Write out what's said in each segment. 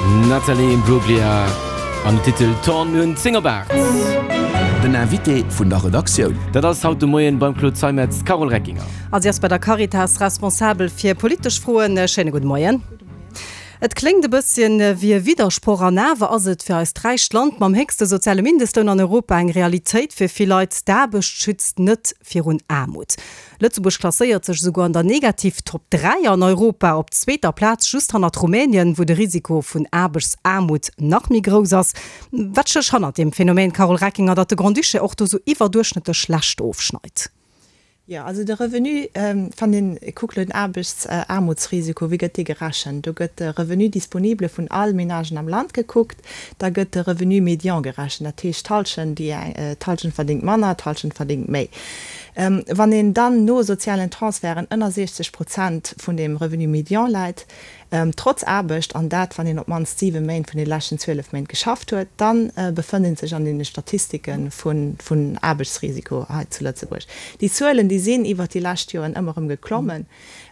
Natalie Imbruglia an den Titel Torn. Mir hunn 10 op 8. Den Invité vun der Redaktioun. Dat ass haut de Moien beim Claude Zeimetz d'Carole Reckinger. A si ass bei der Caritas responsabel fir politesch Froen. Schéine gudde Moien. Et kléngt e bësschen wéi e Widdersproch, an awer ass et fir eist räicht Land mam héchste soziale Mindestloun an Europa eng Realitéit fir vill Leit, D'Aarbecht schützt net virun Aarmut. Lëtzebuerg klasséiert sech esouguer an der Negativ-Top 3 an Europa op zweeter Plaz, just hannert Rumänien, wou de Risiko vun Aarbechtsaarmut nach méi grouss ass. Wat stécht hannert deem Phänomen, Carole Reckinger, datt de Grand-Duché och do sou iwwerduerchschnëttlech schlecht ofschneit? Jo, also de Revenu, wann een kuckt elo den Aarbechtsaarmutsrisiko, wéi gëtt dee gerechent? Do gëtt de Revenu disponible vun all Menagen am Land gekuckt, da gëtt de Revenu médian gerechent, dat heescht d'Hallschent, déi eng, d'Hallschent verdéngt manner, d'Hallschent verdéngt méi. Wann een dann no sozialen Transferten ënner 60 Prozent vun deem Revenu médian läit, trotz Aarbecht, an dat wann een op d'mannst 7 Méint vun de leschten 12 Méint geschafft huet, da befënnt ee sech an deene Statistike vun Aarbechtsrisiko hei zu Lëtzebuerg. Déi Zuelen, déi sinn iwwert déi lescht Joren ëmmer erëm geklommen.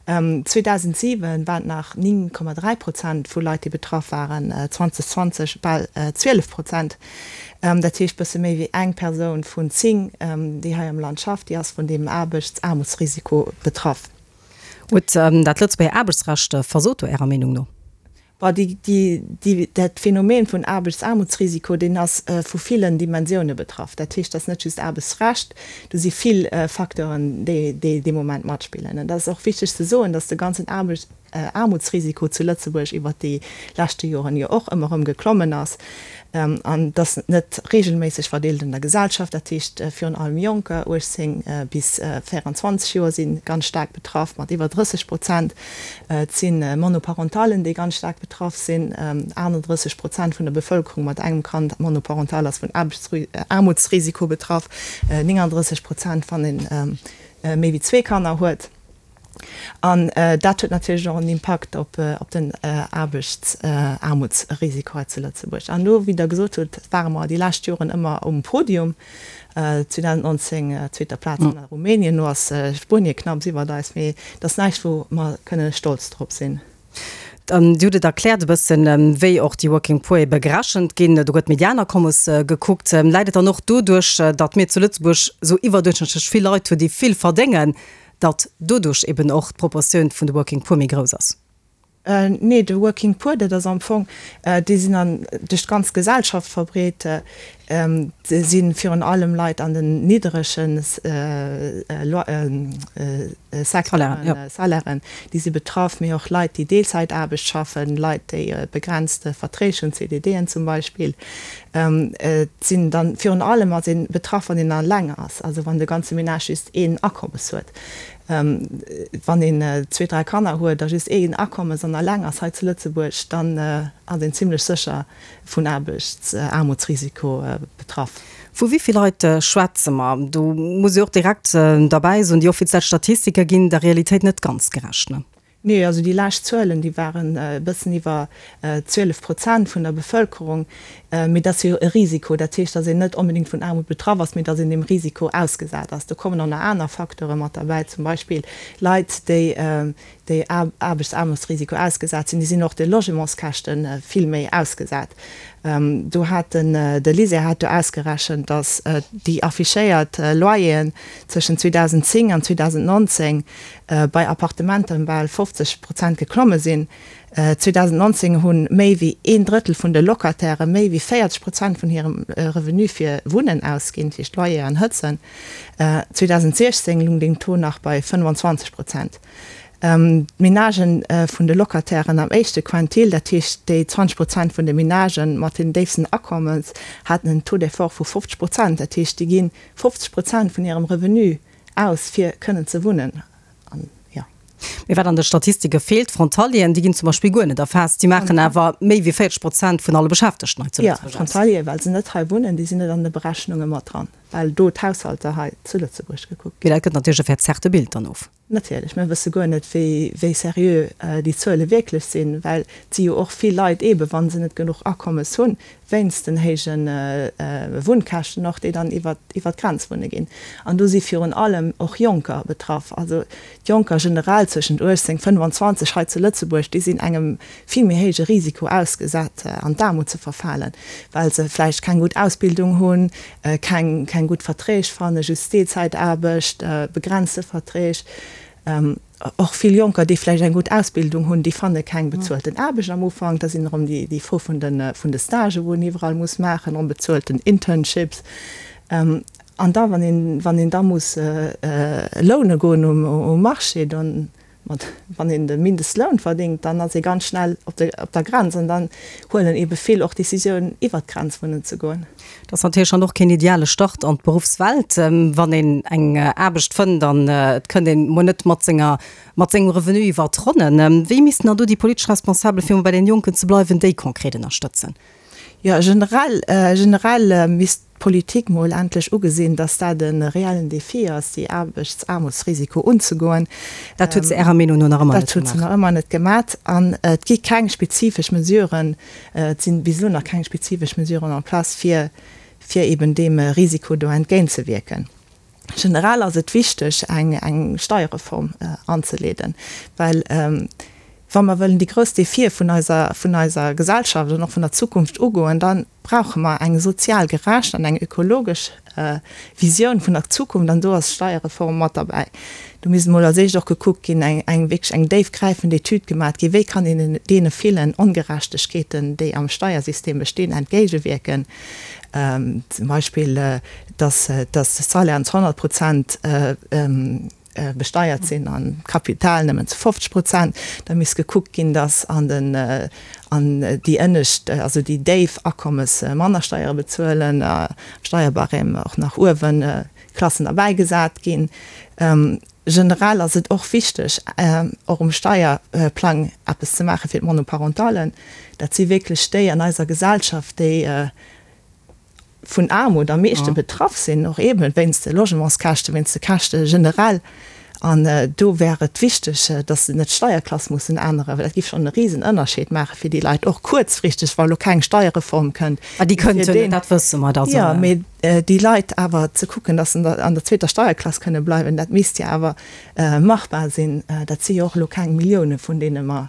2007 waren et nach 9,3 Prozent vu Leit, déi betraff waren, 2020 bal 12 Prozent. Dat heescht bësse méi wéi eng Persoun vun 10, déi hei am Land schafft, déi ass vun deem Aarbechtsaarmutsrisiko betraff. Huet dat Lëtzebuerger Aarbechtsrecht versot do Ärer Meenung no? Bon, déi, déi, déi, dat Phänomen vun Aarbechtsaarmutsrisiko, deen ass vu villen Dimensioune betraff. Dat heescht, dat ass net just Aarbechtsrecht, do si vill Facteuren, déi, déi dee Moment matspillen. Et ass och wichteg ze soen, datt de ganzen Aarbechts, Aarmutsrisiko zu Lëtzebuerg iwwert déi leschte Joren jo och ëmmer erëm geklommen ass an dass net regelméisseg verdeelt an der Gesellschaft. Dat heescht, virun allem Jonker, 18 bis 24 Joer, si ganz staark betraff mat iwwer 30 Prozent. Et si Monoparentallen, déi ganz staark betraff sinn. 38 Prozent vun der Bevëlkerung mat engem Kand monoparental ass vun Aarmutsrisiko betraff, 39 Prozent, wann ee méi wéi zwee Kanner huet. An dat huet natierlech och en Impakt op den Aarbechtsaarmutsrisiko hei zu Lëtzebuerg. An elo, wéi Der gesot hutt, ware mer déi lescht Joren ëmmer um Podium, 2019 zweeter Plaz hanner Rumänien, elo ass Spuenie knapps iwwert eis, mee et ass näischt, wou mer kënne stolz drop sinn. Dir hutt et erkläert e bëssen, wéi och déi Working Poor ebe gerechent ginn. Do gëtt d'Medianakommes gekuckt. Läit et dann och doduerch, datt mir zu Lëtzebuerg esou iwwerduerchschnëttlech vill Leit hunn, déi vill verdéngen, datt doduerch eben och d'Proportioun vun de Working Poor méi grouss ass? Nee, de Working Poor, dat ass am Fong, déi sinn an duerch d'ganz Gesellschaft verbreet. Et si virun allem Leit an den nidderege Secteuren, Salairen, déi si betraff, mee och Leit, déi Deelzäitaarbecht schaffen, Leit, déi begrenzte Verträg hunn, CDDen zum Beispill. Et sinn dann virun allem ass ee betraff, wann een eleng ass, also wann de ganze Menage just een Akommes huet. Wann een zwee, dräi Kanner huet a just een Akommes an eleng ass hei zu Lëtzebuerg, dann ass een zimlech sécher vun Aarbechtsaarmutsrisiko betraff. Vu wéi vill Leit schwätze mer? Do muss ee och direkt derbäi soen, déi offiziell Statistike ginn der Realitéit net ganz gerecht, ne? Nee, also déi lescht Zuelen, déi waren e bëssen iwwer 12 Prozent vun der Bevëlkerung. Mee dat ass jo e Risiko. Dat heescht, datt een net onbedéngt vun Aarmut betraff ass, mee datt een deem Risiko ausgesat ass. Do kommen och nach aner Facteure mat derbäi, zum Beispill Leit, déi déi Aarbechtsaarmutsrisiko ausgesat sinn, déi sinn och de Logementskäschte vill méi ausgesat. Do hat den, de LISER hat do ausgerechent, datt déi affichéiert Loyeren zwëschen 2010 an 2019 bei Appartementer ëm bal 50 Prozent geklomme sinn. 2019 hu méi wéi een Drëttel vun de Locataire méi wéi 40 Prozent vun hirem Revenu fir Wunnen ausginn, dat heescht Loyer an Hëtzen. 2016 lung deen Taux nach bei 25 Prozent. D'Menagen vun de Locatairen am éischte Quintil, dat heescht déi 20 Prozent vun de Menagen mat den déifsten Akommes, haten en Taux d'effort vu 50 Prozent. Dat heescht, déi gi 50 Prozent vun hirem Revenu aus, fir kënnen ze wunnen. An, jo. Mee wat an de Statistike feelt, d'Frontalieren, déi ginn zum Beispill guer net erfaasst. Déi maachen awer méi wéi 40 Prozent vun alle Beschäftegten hei zu Lëtzebuerg aus. Jo, d'Frontalieren, well se net hei wunnen, déi sinn net an de Berechnunge mat dran, well do d'Haushalter hei zu Lëtzebuerg gekuckt ginn. Mee dat gëtt natierlech e verzerrte Bild dann of. Natierlech, mir wësse guer net, wéi, wéi seriö déi Zuele wierklech sinn, well et si jo och vill Leit eebe wa se net genuch Akommes hunn, wéinst den héije Wunnkäschten och, déi dann iwwer, iwwer d'Grenz wunne ginn. An do si virun allem och Jonker betraff. Also d'Jonker generell zwëschent 18, 25 hei zu Lëtzebuerg, déi sinn engem vill méi héije Risiko ausgesat, an d'Aarmut ze verfalen, well se vläicht keng gutt Ausbildung hunn, keng keng gutt Verträg fannen, just Deelzäitaarbecht, begrenzte Verträg. Och vill Jonker, déi vläicht eng gutt Ausbildung hunn, déi fanne keng bezuelten Aarbecht am Ufank. Da sinn erëm déi déi Fro vun de vun de Stagen, wou een iwwerall muss maachen, onbezuelten Internships. An da wann een wann een da muss loune goen um um Marché, dann Mat wann een de Mindestloun verdéngt, dann ass ee ganz schnell op de op der Grenz an dann huelen eebe vill och d'Decisioun iwwert d'Grenz wunnen ze goen. Dat ass natierlech dann och keen ideale Start an d'Beruffswelt, wann een eng Aarbecht fënnt an et kënnt een mol net mat senger mat sengem Revenu iwwert d'Ronnen. Wéi missten dann do déi politesch Responsabel, fir mol bei den Jonken ze bleiwen, déi konkret ënnerstëtzen? Jo, generell generell misst d'Politik mol endlech ugesinn, dass dat e reellen Défi ass, déi Aarbechtsaarmutsrisiko unzegoen. Dat huet se Ärer Meenung no nach ëmmer net gemaach. Dat huet se nach ëmmer net gemaach. An et gi keng spezifesch Mesuren, et si bis elo nach keng spezifesch Mesuren en place, fir, fir eben deem Risiko do entgéintzewierken. Generell ass et wichteg, eng, eng Steierreform anzeleeden, well wa mer wëllen déi grouss Défië vun eiser, vun eiser Gesellschaft an och vun der Zukunft ugoen, da brauche mer eng sozial gerecht an eng ökologesch Visioun vun der Zukunft an do ass d'Steierreform mat derbäi. Do misst emol als éischt och gekuckt ginn, eng, eng wierklech eng déifgräifend Etüd gemat ginn, wéi kann een deene villen Ongerechtegkeeten, déi am Steiersystem bestinn, entgéigewierken, zum Beispill dass, dass d'Salairen zu 100 Prozent besteiert sinn an d'Kapital nëmmen zu 50 Prozent. Da misst gekuckt ginn, dass an den, an déi ënnescht, also déi déif Akommes manner Steiere bezuelen, am Steierbarème och nach uewen Klassen derbäigesat ginn. Generell ass et och wichteg, och um Steierplang eppes ze maache fir d'Monoparentallen. Dat si wierklech déi an eiser Gesellschaft, déi vun Aarmut am meeschte betraff sinn, och eeben wéinst de Logementskäschten, wéinst de Käschte generell. An do wär et wichteg, dass se net d'Steierklass mussen änneren, well dat géif schonn e Risenënnerscheed maache fir déi Leit, och kuerzfristeg, wa elo keng Steierreform kënnt. Ah, déi kënnt jo net, dat wësse mer. Also. Jo, mee déi Leit awer ze kucken, dass se an der zweeter Steierklass kënne bleiwen, dat misst jo awer machbar sinn. Dat si jo och elo keng Millioune vun deene mer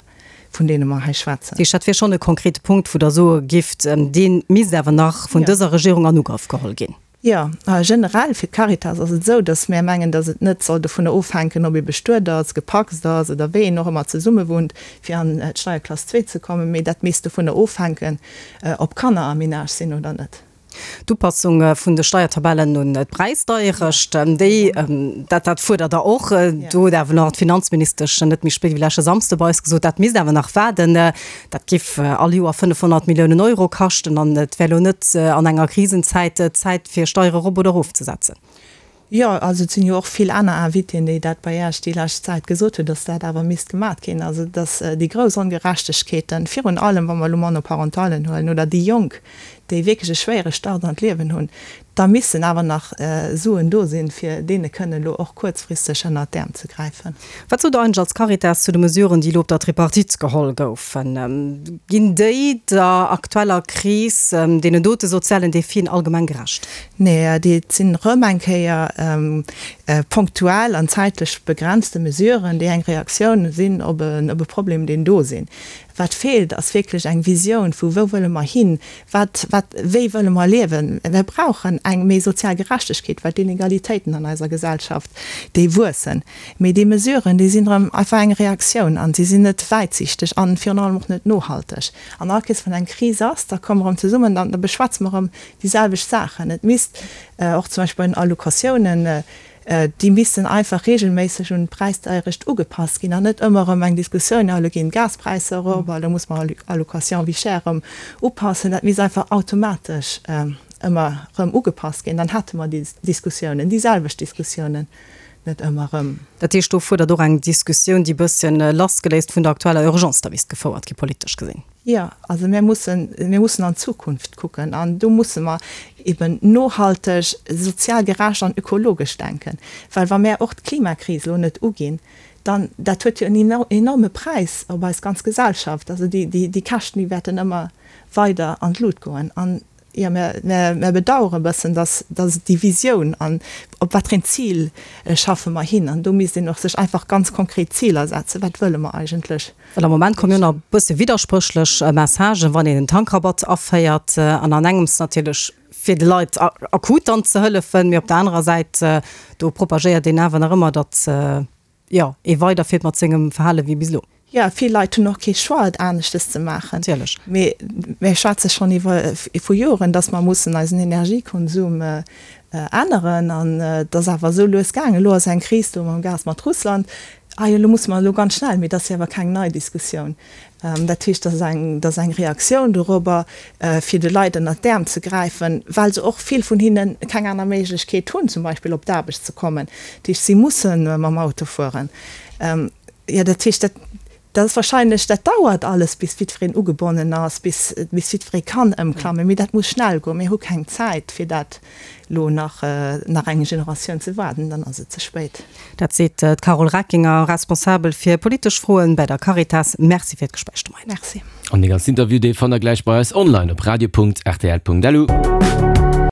vun deene mer hei schwätzen. Dat heescht, dat wier schonn e konkrete Punkt, wou Der soe gifft, dee misst awer nach vun dëser Regierung an Ugrëff geholl ginn. Jo, generell fir d'Caritas ass et esou, datt mär mengen, datt et net soll dovunner ofhänken, ob ee bestuet ass, gepacst ass oder wéi een och ëmmer zesummewunnt, fir an d'Steierklass zwee ze kommen, mee dat misst dovunner ofhänken, ob Kanner am Menage sinn oder net. D'Upassung vun de Steiertabellen un d'Präisdeierecht, déi, dat, dat fuerdert Der och. Do huet awer nach d'Finanzministesch net méi spéit wéi leschte Samsde bei eis gesot, dat misst awer nach waarden. Dat géif all Joer 500 Milliounen Euro kaschten an et wär elo net an enger Krisenzäit d'Zäit fir Steiere erop oder erofzesetzen. Jo, also et sinn jo och vill aner Invitéen, déi dat bei Iech déi lescht Zäit gesot hunn, datt dat awer misst gemat ginn. Also datt déi grouss Ongerechtegkeeten, virun allem wa mer elo Monoparentallen huelen oder déi Jonk, déi wierklech e schwéiere Start an d'Liewen hunn, da missen awer nach Suen do sinn, fir deene kënnen elo och kuerzfristeg ënnert d'Äerm ze gräifen. Wat sot Der eigentlech als Caritas zu de Mesuren, déi elo op der Tripartite geholl goufen? Ginn déi der aktueller Kris, deenen dote sozialen Defien allgemeng gerecht? Nee, déi sinn erëm eng Kéier punktuell an zäitlech begrenzte Mesuren, déi eng Reaktioun sinn op e Problem, deen do sinn. Wat feelt, ass wierklech eng Visioun vu wou wëlle mer hin, wat, wat, wéi wëlle mer liewen. Mir brauchen eng méi sozial Gerechtegkeet, well d'Inegalitéiten an eiser Gesellschaft, déi wuessen. Mee déi Mesuren, déi sinn erëm einfach eng Reaktioun an si sinn net wäitsichteg an virun allem och net nohalteg. An all Kees, wann eng Kris ass, da komme mer erëm zesummen an da beschwätze mer erëm déi selwecht Saachen. Et misst och zum Beispill bei den Allocatiounen, déi missten einfach regelméisseg un d'Präisdeierecht ugepasst ginn an net ëmmer erëm eng Diskussioun, jo elo ginn d'Gaspräisser erop a lo muss mer Allocation vie chère erëm upassen. Dat misst einfach automatesch ëmmer erëm ugepasst ginn. Dann hätte mer déi Diskussiounen, déi selwecht Diskussiounen. net ëmmer erëm. Dat heescht, do fuerdert och eng Diskussioun, déi e bësschen lassgeléist vun der aktueller Urgence da misst gefouert gi, politesch gesinn. Jo, also mir mussen, mir mussen an d'Zukunft kucken an do musse mer eben nohalteg, sozial gerecht an ökologesch denken, well wa mär och d'Klimakris elo net uginn, dann, dat huet jo en enorme Präis op eis ganz Gesellschaft, also déi, déi Käschten, déi wäerten ëmmer weider an d'Lut goen. An jo, mär, mär bedauere e bëssen, dass, dass déi Visioun an op wat fir een Zil schaffe mer hin, an do misst een och sech einfach ganz konkret Ziler setzen, wat wëlle mer eigentlech? Well am Moment kommen jo nach e bësse widderspréchlech Messagen, wann een en Tankrabatt aféiert an an engems natierlech fir de Leit akut dann ze hëllefen, mee op der anerer Säit do propagéiert een awer nach ëmmer, datt jo ee weiderfiert mat sengem Verhale wéi bis elo. Jo, vill Leit hunn och kee Choix et aneschtes ze maachen. Natierlech. Mee mir schwätze schonn iwwer vu Joren, datt mer mussen eisen Energiekonsum änneren an et ass awer esou lues gaangen. Elo ass eng Kris do mam Gas mat Russland. Ah jo, elo musse mer elo ganz schnell, mee dat ass jo awer keng nei Diskussioun. Dat heescht, dat ass eng, dat ass eng Reaktioun dorobber, fir de Leit ënnert d'Äerm ze gräifen, well se och, vill vun hinnen, keng aner Méiglechkeet hunn, zum Beispill op d'Aarbecht ze kommen. Dat heescht, si musse mam Auto fueren. Jo, dat heescht, dat, dat ass wahrscheinlech, dat dauert alles, bis jiddwereen ugebonnen ass, bis, bis jiddweree kann ëmklammen. Mee dat muss schnell goen. Mir hu keng Zäit, fir dat elo nach, nach eng Generatioun ze waarden, dann ass et ze spéit. Dat seet d'Carole Reckinger, Responsabel fir politesch Froen bäi der Caritas. Merci fir d'Gespréich de Moien. Merci. An dee ganzen Interview, dee fannt der gläich bei eis online op radio.rtl.lu.